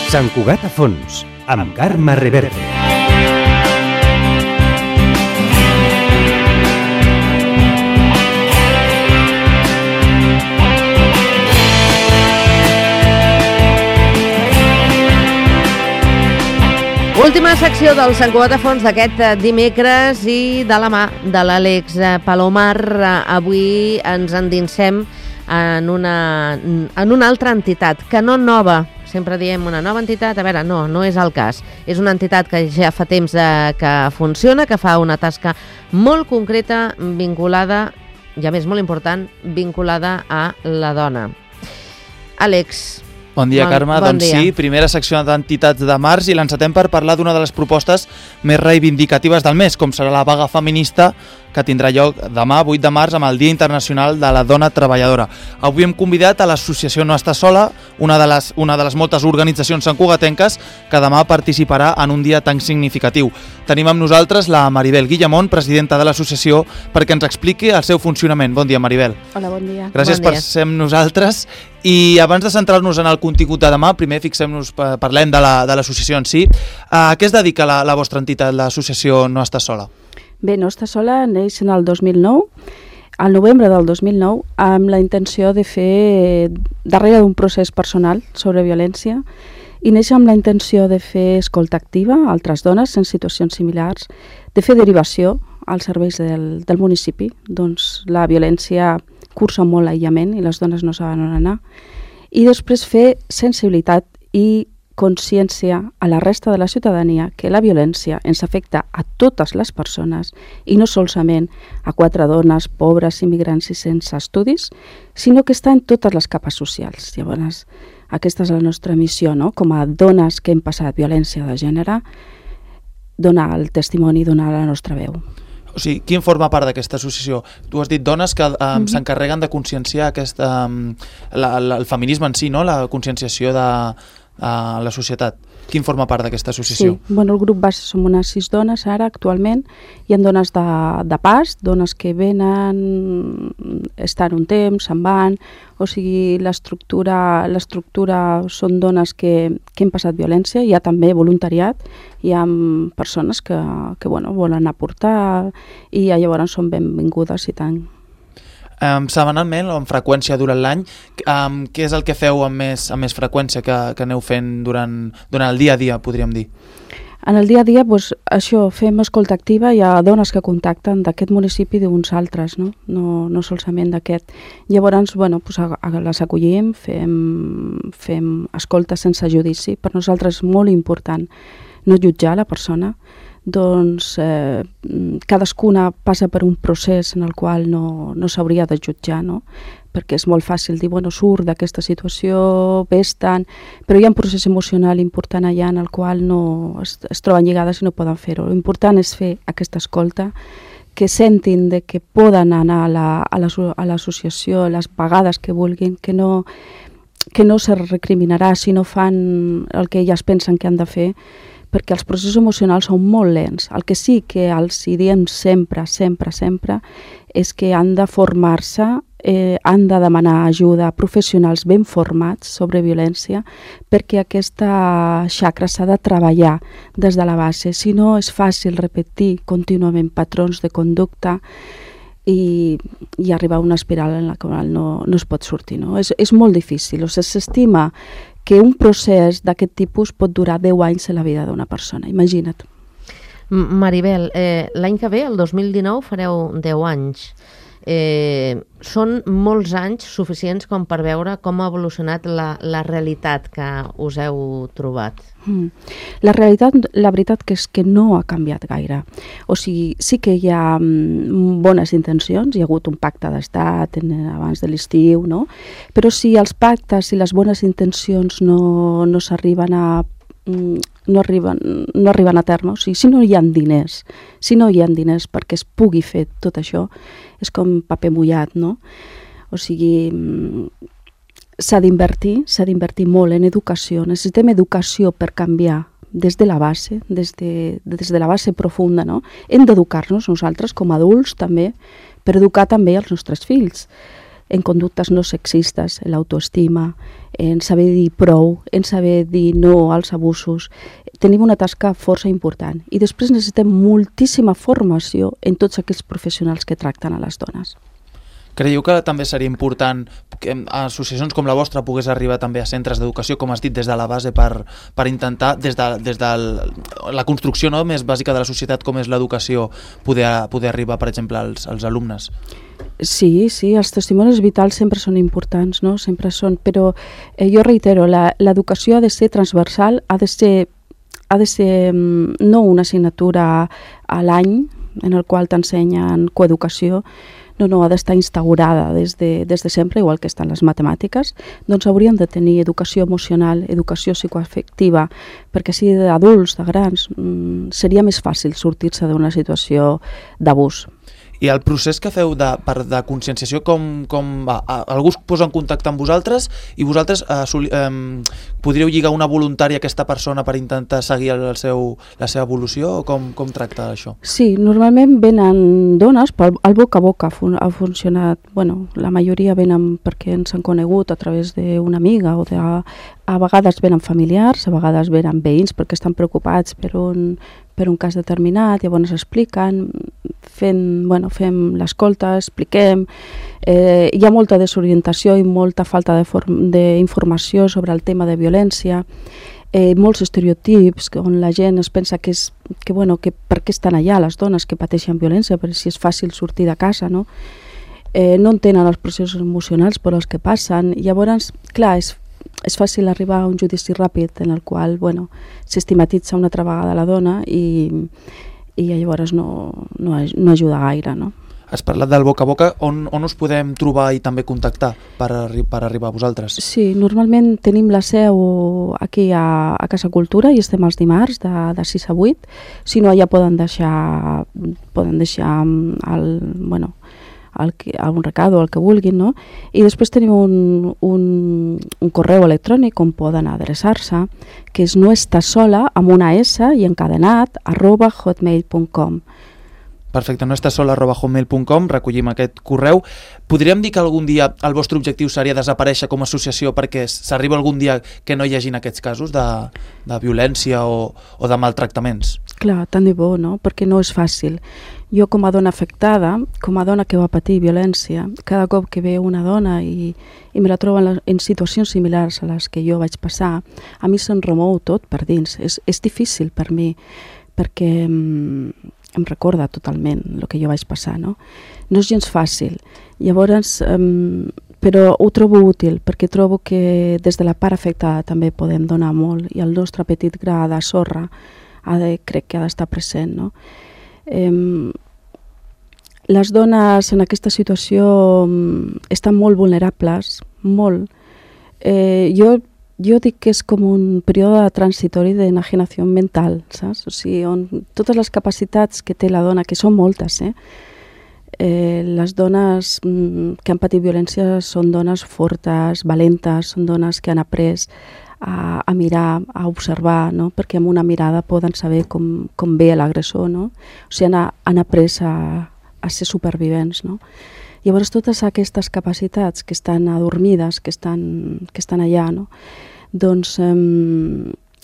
Sant Cugat a fons, amb Carme Reverte. Última secció del Sant Cugat a fons d'aquest dimecres i de la mà de l'Àlex Palomar. Avui ens endinsem en una altra entitat, que no nova. Sempre diem una nova entitat, a veure, no és el cas. És una entitat que ja fa temps que funciona, que fa una tasca molt concreta, vinculada, i a més molt important, vinculada a la dona. Àlex, bon dia, Carme. Doncs sí, primera secció d'entitats de març i l'encetem per parlar d'una de les propostes més reivindicatives del mes, com serà la vaga feminista que tindrà lloc demà, 8 de març, amb el Dia Internacional de la Dona Treballadora. Avui hem convidat a l'associació No Està Sola, una de les moltes organitzacions santcugatenques que demà participarà en un dia tan significatiu. Tenim amb nosaltres la Maribel Guillamont, presidenta de l'associació, perquè ens expliqui el seu funcionament. Bon dia, Maribel. Hola, bon dia. Gràcies per ser amb nosaltres. I abans de centrar-nos en el contingut de demà, primer parlem de l'associació en si. A què es dedica la vostra entitat, l'associació No Està Sola? Bé, No Està Sola neix en el 2009, al novembre del 2009, amb la intenció de fer, darrere d'un procés personal sobre violència, i neix amb la intenció de fer escolta activa a altres dones en situacions similars, de fer derivació als serveis del municipi. Doncs la violència cursa molt aïllament i les dones no saben on anar. I després fer sensibilitat i consciència a la resta de la ciutadania que la violència ens afecta a totes les persones i no solament a 4 dones pobres, immigrants i sense estudis, sinó que està en totes les capes socials. Llavors, aquesta és la nostra missió, no? Com a dones que hem passat violència de gènere, donar el testimoni, donar la nostra veu. O sigui, qui en forma part d'aquesta associació? Tu has dit dones que s'encarreguen de conscienciar el feminisme en si, no? La conscienciació de la societat. Qui en forma part d'aquesta associació? Sí, bueno, el grup base som unes 6 dones ara, actualment. Hi ha dones de pas, dones que venen, estan un temps, se'n van, o sigui, l'estructura són dones que han passat violència, hi ha també voluntariat, hi ha persones que volen aportar i llavors són benvingudes i tant. Setmanalment o amb freqüència durant l'any, què és el que feu amb més freqüència que aneu fent durant el dia a dia, podríem dir? En el dia a dia, això, fem escolta activa, hi ha dones que contacten d'aquest municipi i d'uns altres, no solament d'aquest. Llavors, les acollim, fem escolta sense judici. Per nosaltres és molt important no jutjar la persona. Doncs cadascuna passa per un procés en el qual no s'hauria de jutjar, no? Perquè és molt fàcil dir, surt d'aquesta situació, vés-te'n, però hi ha un procés emocional important allà en el qual no es troben lligades i no poden fer-ho. L'important és fer aquesta escolta, que sentin que poden anar a l'associació les vegades que vulguin, que no se recriminarà si no fan el que elles pensen que han de fer, perquè els processos emocionals són molt lents. El que sí que els diem sempre és que han de formar-se, han de demanar ajuda a professionals ben formats sobre violència, perquè aquesta xacra s'ha de treballar des de la base. Si no, és fàcil repetir contínuament patrons de conducta i arribar a una espiral en la qual no es pot sortir. No? És molt difícil. S'estima que un procés d'aquest tipus pot durar 10 anys en la vida d'una persona, imagina't. Maribel, l'any que ve, el 2019, fareu 10 anys. Són molts anys suficients com per veure com ha evolucionat la realitat que us heu trobat. La realitat, la veritat que és que no ha canviat gaire. O sigui, sí que hi ha bones intencions, hi ha hagut un pacte d'estat abans de l'estiu, no? Però si els pactes i les bones intencions no s'arriben a no arriben a terme, o sigui, si no hi ha diners perquè es pugui fer tot això, és com paper mullat, no? O sigui, s'ha d'invertir molt en educació, necessitem educació per canviar des de la base, des de la base profunda, no? Hem d'educar-nos nosaltres com a adults també, per educar també els nostres fills. en conductes no sexistes, en l'autoestima, en saber dir prou, en saber dir no als abusos. Tenim una tasca força important i després necessitem moltíssima formació en tots aquells professionals que tracten a les dones. Creieu que també seria important que associacions com la vostra pogués arribar també a centres d'educació, com has dit, des de la base per intentar, des de la construcció més bàsica de la societat com és l'educació, poder arribar, per exemple, als alumnes? Sí, els testimonis vitals sempre són importants, no? Sempre són, però jo reitero, l'educació ha de ser transversal, ha de ser no una assignatura a l'any en el qual t'ensenyen coeducació, no, ha d'estar instaurada des de sempre, igual que estan les matemàtiques, doncs hauríem de tenir educació emocional, educació psicoafectiva, perquè si d'adults, de grans, seria més fàcil sortir-se d'una situació d'abús. I el procés que feu de conscienciació, com va? Algú es posa en contacte amb vosaltres i vosaltres podríeu lligar una voluntària a aquesta persona per intentar seguir la seva evolució, o com tracta això? Sí, normalment venen dones, el boca a boca ha funcionat, la majoria venen perquè ens han conegut a través d'una amiga o a vegades venen familiars, a vegades venen veïns perquè estan preocupats per un cas determinat, llavors expliquen, fem l'escolta, expliquem. Hi ha molta desorientació i molta falta d'informació sobre el tema de violència, molts estereotips on la gent es pensa que per què estan allà les dones que pateixen violència, perquè si és fàcil sortir de casa, no? No entenen els processos emocionals per els que passen. Llavors, clar, és fàcil arribar a un judici ràpid en el qual s'estigmatitza una altra vegada la dona i llavors no ajuda gaire, no? Has parlat del boca a boca, on us podem trobar i també contactar per arribar a vosaltres? Sí, normalment tenim la seu aquí a Casa Cultura i estem els dimarts de 6 a 8, si no ja poden deixar un recado, el que vulguin, no? I després tenim un correu electrònic on poden adreçar-se, que és noestasola, amb una S i encadenat, @hotmail.com. Perfecte, noestasola@hotmail.com, recollim aquest correu. Podríem dir que algun dia el vostre objectiu seria desaparèixer com a associació perquè s'arriba algun dia que no hi hagin aquests casos de violència o de maltractaments? Clar, tant de bo, no? Perquè no és fàcil. Jo com a dona afectada, com a dona que va patir violència, cada cop que veu una dona i me la trobo en situacions similars a les que jo vaig passar, a mi se'm remou tot per dins. És difícil per mi, perquè em recorda totalment el que jo vaig passar, no? No és gens fàcil. Llavors, però ho trobo útil, perquè trobo que des de la part afectada també podem donar molt i el nostre petit gra de sorra crec que ha d'estar present, no? Les dones en aquesta situació estan molt vulnerables, molt. Jo dic que és com un període transitori d'enajenació mental, saps? O sigui, on totes les capacitats que té la dona, que són moltes, les dones que han patit violència són dones fortes, valentes, són dones que han après a mirar, a observar, no? Perquè amb una mirada poden saber com ve l'agressor, no? O sigui, han après a ser supervivents, no? Llavors totes aquestes capacitats que estan adormides, que estan allà, no? Doncs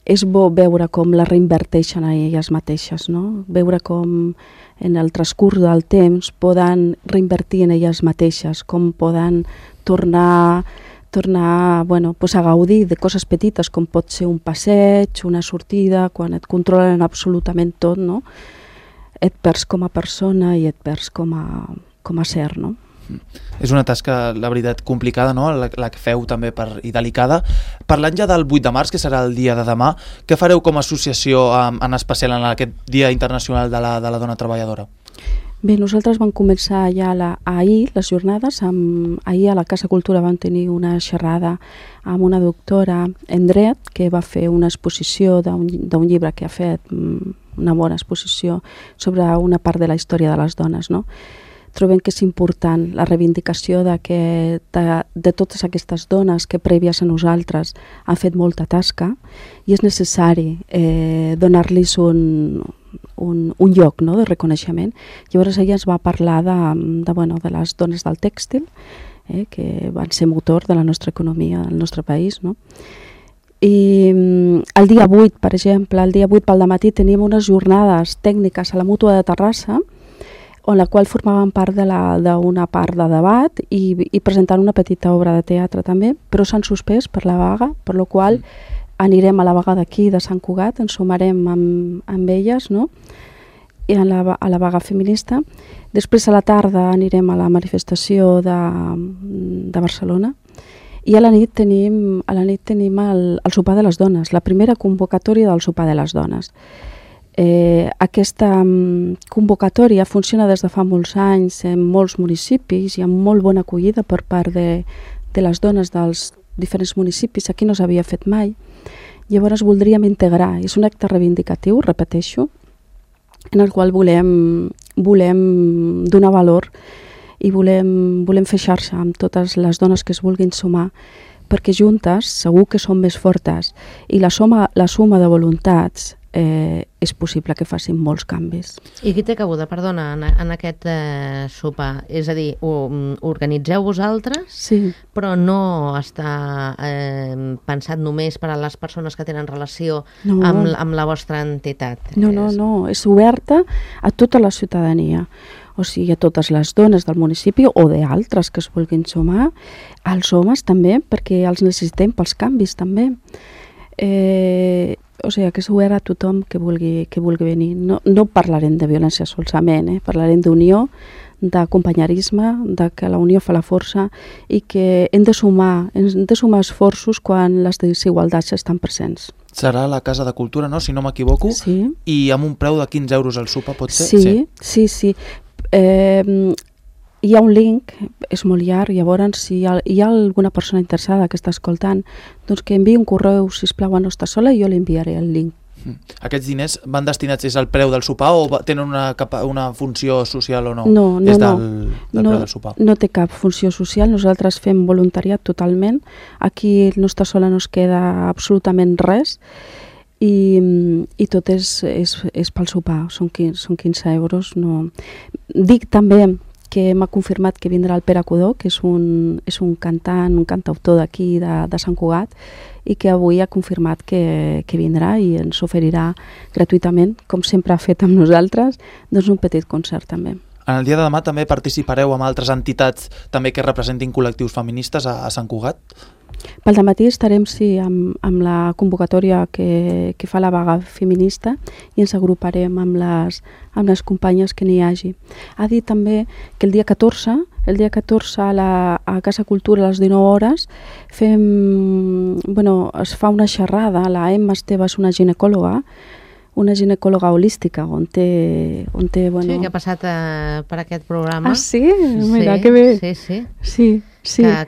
és bo veure com la reinverteixen a elles mateixes, no? Veure com en el transcurs del temps poden reinvertir en elles mateixes, com poden tornar a gaudir de coses petites com pot ser un passeig, una sortida, quan et controlen absolutament tot, no? Et perds com a persona i et perds com a ser, no? És una tasca, la veritat, complicada, no? La que feu també i delicada. Parlant ja del 8 de març, que serà el dia de demà, què fareu com a associació, en especial en aquest Dia Internacional de la Dona Treballadora? Bé, nosaltres vam començar ja ahir les jornades. Ahir a la Casa Cultura vam tenir una xerrada amb una doctora en dret que va fer una exposició d'un llibre que ha fet, una bona exposició sobre una part de la història de les dones, no? Trobem que és important la reivindicació de totes aquestes dones que prèvies a nosaltres han fet molta tasca i és necessari donar-los un lloc, no?, de reconeixement. Llavors ella ens va parlar de les dones del tèxtil que van ser motor de la nostra economia, del nostre país, no? I el dia 8, per exemple, el dia 8 pel dematí tenim unes jornades tècniques a la Mútua de Terrassa, on la qual formaven part d'una part de debat i presentant una petita obra de teatre també, però s'han suspès per la vaga, per la qual anirem a la vaga d'aquí, de Sant Cugat, ens sumarem amb elles, no? I a la vaga feminista. Després a la tarda anirem a la manifestació de Barcelona. I a la nit tenim el sopar de les dones, la primera convocatòria del sopar de les dones. Aquesta convocatòria funciona des de fa molts anys en molts municipis i amb molt bona acollida per part de les dones dels diferents municipis. Aquí no s'havia fet mai. Llavors voldríem integrar, és un acte reivindicatiu, repeteixo, en el qual volem donar valor i volem fer xarxa amb totes les dones que es vulguin sumar, perquè juntes segur que som més fortes i la suma de voluntats és possible que facin molts canvis. I qui té cabuda, perdona, en aquest sopar? És a dir, organitzeu vosaltres, sí, però no està pensat només per a les persones que tenen relació amb la vostra entitat? No, és oberta a tota la ciutadania, o sigui, a totes les dones del municipi o d'altres que es vulguin sumar, als homes també, perquè els necessitem pels canvis també. O sigui, que és obert a tothom que vulgui venir. No parlarem de violència solament, parlarem d'unió, d'acompanyarisme, de que la unió fa la força i que hem de sumar esforços quan les desigualtats estan presents. Serà a la Casa de Cultura, no?, si no m'equivoco, sí. I amb un preu de 15 euros el sopar, pot ser? Sí. Hi ha un link, és molt llarg, llavors si hi ha alguna persona interessada que està escoltant, doncs que enviï un correu, sisplau, a Nostra Sola, i jo li enviaré el link. Aquests diners van destinats al preu del sopar o tenen una funció social o no? No. Del preu del sopar. No té cap funció social, nosaltres fem voluntariat totalment, aquí a Nostra Sola no es queda absolutament res, i tot és pel sopar, són 15 euros. No. Dic també que m'ha confirmat que vindrà el Pere Codó, que és un cantautor d'aquí, de Sant Cugat, i que avui ha confirmat que vindrà i ens oferirà gratuïtament, com sempre ha fet amb nosaltres, doncs un petit concert també. En el dia de demà també participareu amb altres entitats també que representin col·lectius feministes a Sant Cugat? Pel dematí estarem, sí, amb la convocatòria que fa la vaga feminista i ens agruparem amb les companyes que n'hi hagi. Ha dit també que el dia 14 a Casa Cultura a les 19 hores es fa una xerrada. La Emma Esteve és una ginecòloga holística on té Sí, que ha passat per aquest programa. Ah, sí? Mira, que bé. Sí. Que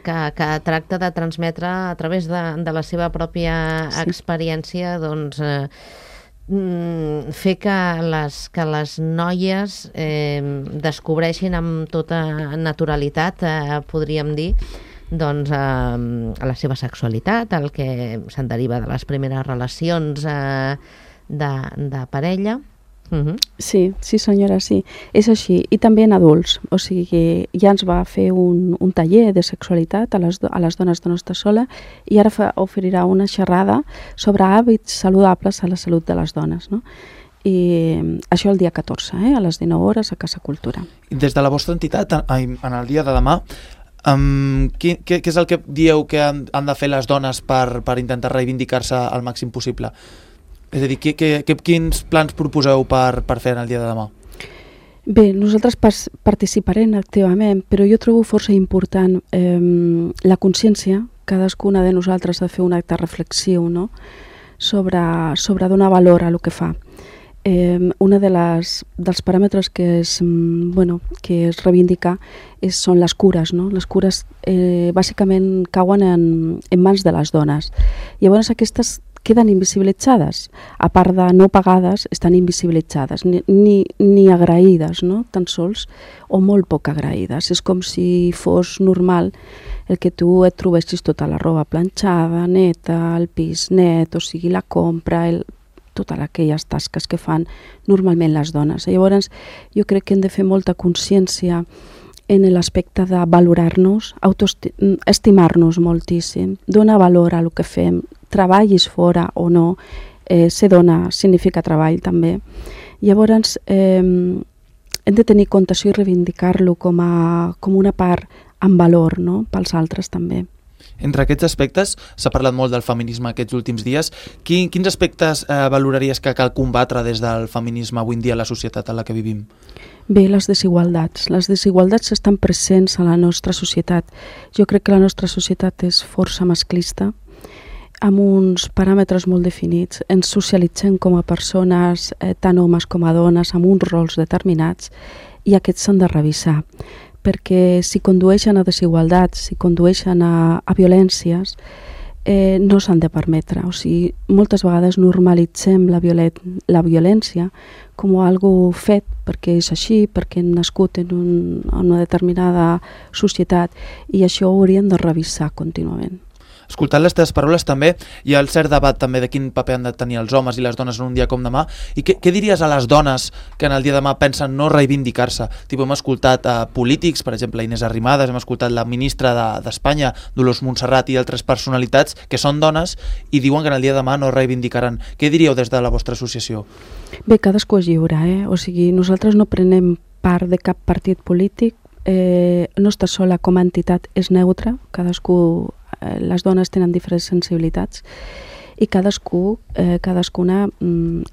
tracta de transmetre a través de la seva pròpia experiència, doncs, fer que les noies descobreixin amb tota naturalitat, podríem dir, doncs, la seva sexualitat, el que se'n deriva de les primeres relacions de parella. Sí, senyora, sí. És així. I també en adults. O sigui, ja ens va fer un taller de sexualitat a les dones de Nostra Sola i ara oferirà una xerrada sobre hàbits saludables a la salut de les dones, no? I això el dia 14, a les 19 hores a Casa Cultura. Des de la vostra entitat, en el dia de demà, què és el que dieu que han de fer les dones per intentar reivindicar-se al màxim possible? És a dir, quins plans proposeu per fer en el dia de demà? Bé, nosaltres participarem activament, però jo trobo força important la consciència, cadascuna de nosaltres, de fer un acte reflexiu, no?, sobre donar valor a lo que fa. Un dels paràmetres que es reivindica són les cures, no? Les cures bàsicament cauen en mans de les dones. Llavors aquestes queden invisibilitzades, a part de no pagades, estan invisibilitzades, ni agraïdes, no? Tan sols, o molt poc agraïdes. És com si fos normal el que tu et trobessis tota la roba planxada, neta, el pis net, o sigui, la compra, totes aquelles tasques que fan normalment les dones. Llavors, jo crec que hem de fer molta consciència en l'aspecte de valorar-nos, estimar-nos moltíssim, donar valor a el que fem, treballis fora o no, ser dona significa treball també. Llavors, hem de tenir compte això i reivindicar-lo com una part amb valor, no?, pels altres també. Entre aquests aspectes, s'ha parlat molt del feminisme aquests últims dies. Quins aspectes valoraries que cal combatre des del feminisme avui en dia a la societat en la que vivim? Bé, les desigualtats. Les desigualtats estan presents a la nostra societat. Jo crec que la nostra societat és força masclista, amb uns paràmetres molt definits. Ens socialitzem com a persones, tant homes com a dones, amb uns rols determinats, i aquests s'han de revisar, perquè si condueixen a desigualtats, si condueixen a violències, no s'han de permetre. O sigui, moltes vegades normalitzem la violència com algo fet perquè és així, perquè hem nascut en una determinada societat, i això ho hauríem de revisar contínuament. Escoltant les teves paraules també hi ha el cert debat també de quin paper han de tenir els homes i les dones en un dia com demà, i què diries a les dones que en el dia de demà pensen no reivindicar-se? Hem escoltat polítics, per exemple Inés Arrimadas, hem escoltat la ministra d'Espanya, Dolors Montserrat, i altres personalitats que són dones i diuen que en el dia de demà no reivindicaran. Què diríeu des de la vostra associació? Bé, cadascú és lliure, o sigui, nosaltres no prenem part de cap partit polític, Nostra Sola com a entitat és neutra, les dones tenen diferents sensibilitats i cadascuna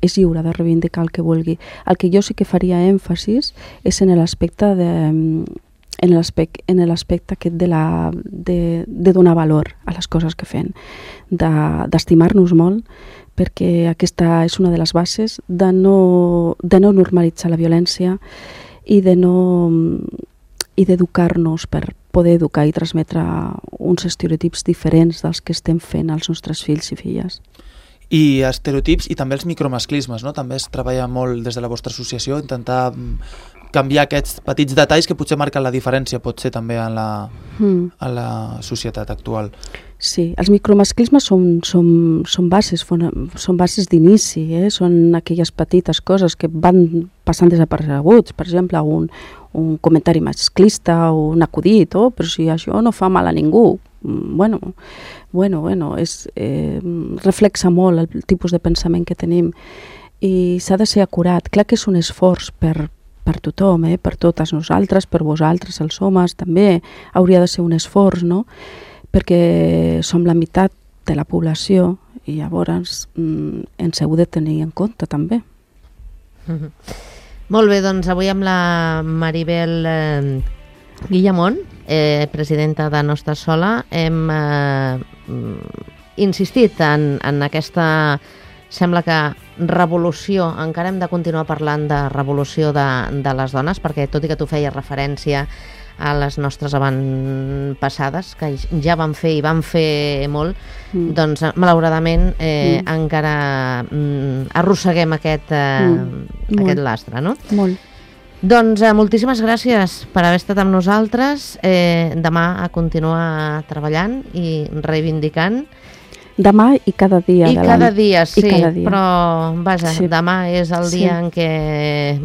és lliure de reivindicar el que vulgui. El que jo sí que faria èmfasis és en l'aspecte aquest de donar valor a les coses que fem, d'estimar-nos molt, perquè aquesta és una de les bases de no normalitzar la violència i d'educar-nos per poder educar i transmetre uns estereotips diferents dels que estem fent als nostres fills i filles. I estereotips i també els micromasclismes, no? També es treballa molt des de la vostra associació, intentar canviar aquests petits detalls que potser marquen la diferència, potser també a la societat actual. Sí, els micromasclismes són bases d'inici, són aquelles petites coses que van passant desapercebuts, per exemple, un comentari masclista o un acudit, però si això no fa mal a ningú. Bueno, reflexa molt el tipus de pensament que tenim i s'ha de ser acurat. Clar que és un esforç per tothom, per totes nosaltres, per vosaltres, els homes, també hauria de ser un esforç, no?, perquè som la meitat de la població i llavors ens heu de tenir en compte també. Molt bé, doncs avui amb la Maribel Guillamón, presidenta de Nostra Sola, hem insistit en aquesta, sembla que revolució, encara hem de continuar parlant de revolució de les dones, perquè tot i que tu feies referència a les nostres avantpassades, que ja van fer i van fer molt, doncs malauradament encara arrosseguem aquest lastre, no? Molt. Doncs moltíssimes gràcies per haver estat amb nosaltres. Demà a continuar treballant i reivindicant. Demà i cada dia de l'any. I cada dia, sí, però vaja, sí. Demà és el dia en què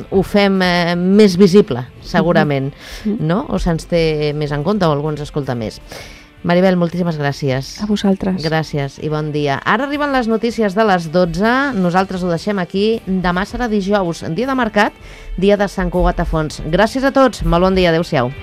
ho fem més visible, segurament, no? O se'ns té més en compte o algú ens escolta més. Maribel, moltíssimes gràcies. A vosaltres. Gràcies i bon dia. Ara arriben les notícies de les 12, nosaltres ho deixem aquí. Demà serà dijous, dia de mercat, dia de Sant Cugat a Fons. Gràcies a tots, molt bon dia, adeu-siau.